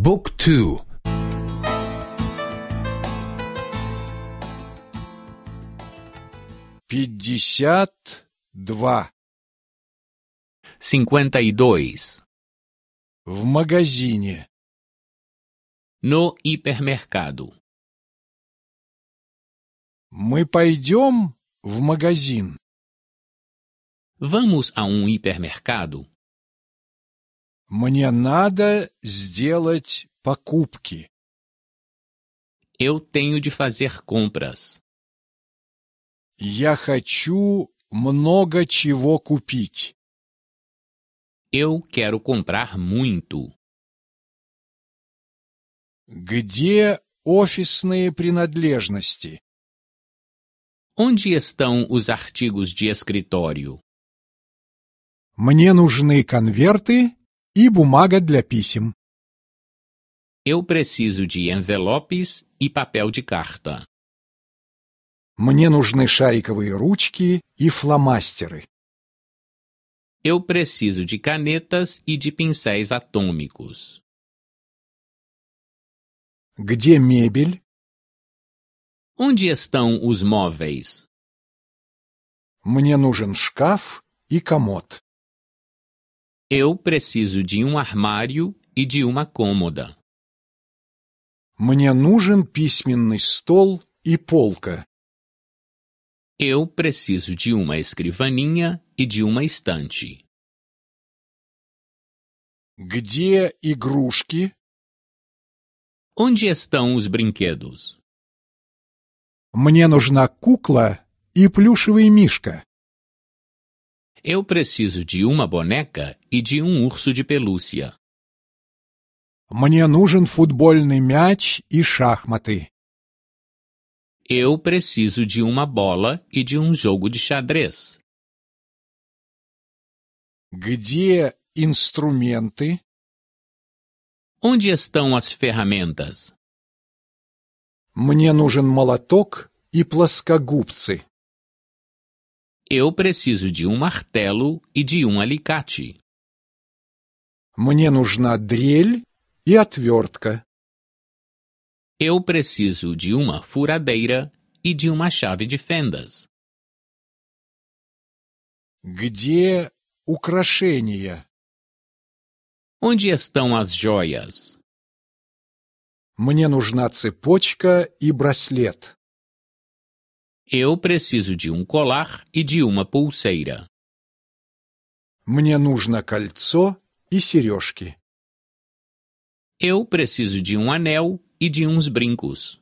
บุ๊กทู 52. 52. В магазине. No hipermercado. Мы пойдем в магазин. Vamos a um hipermercado? Мне надо сделать покупки. Eu tenho de fazer compras. Я хочу много чего купить. Eu quero comprar muito. Где офисные принадлежности? Onde estão os artigos de escritório? Мне нужны конверты и бумага для писем. Eu preciso de envelopes e papel de carta. Мне нужны шариковые ручки и фломастеры. Eu preciso de canetas e de pincéis atômicos. Где мебель? Onde estão os móveis? Мне нужен шкаф и комод. Eu preciso de um armário e de uma cômoda. Мне нужен письменный стол и полка. Eu preciso de uma escrivaninha e de uma estante. Где игрушки? Onde estão os brinquedos? Мне нужна кукла и плюшевый мишка. Eu preciso de uma boneca e de um urso de pelúcia. Мне нужен футбольный мяч и шахматы. Eu preciso de uma bola e de um jogo de xadrez. Где инструменты? Onde estão as ferramentas? Мне нужен молоток и плоскогубцы. Eu preciso de um martelo e de um alicate. Мне нужна дрель и отвертка. Eu preciso de uma furadeira e de uma chave de fendas. Где украшения? Onde estão as joias? Мне нужна цепочка и браслет. Eu preciso de um colar e de uma pulseira. Мне нужно кольцо и сережки. Eu preciso de um anel e de uns brincos.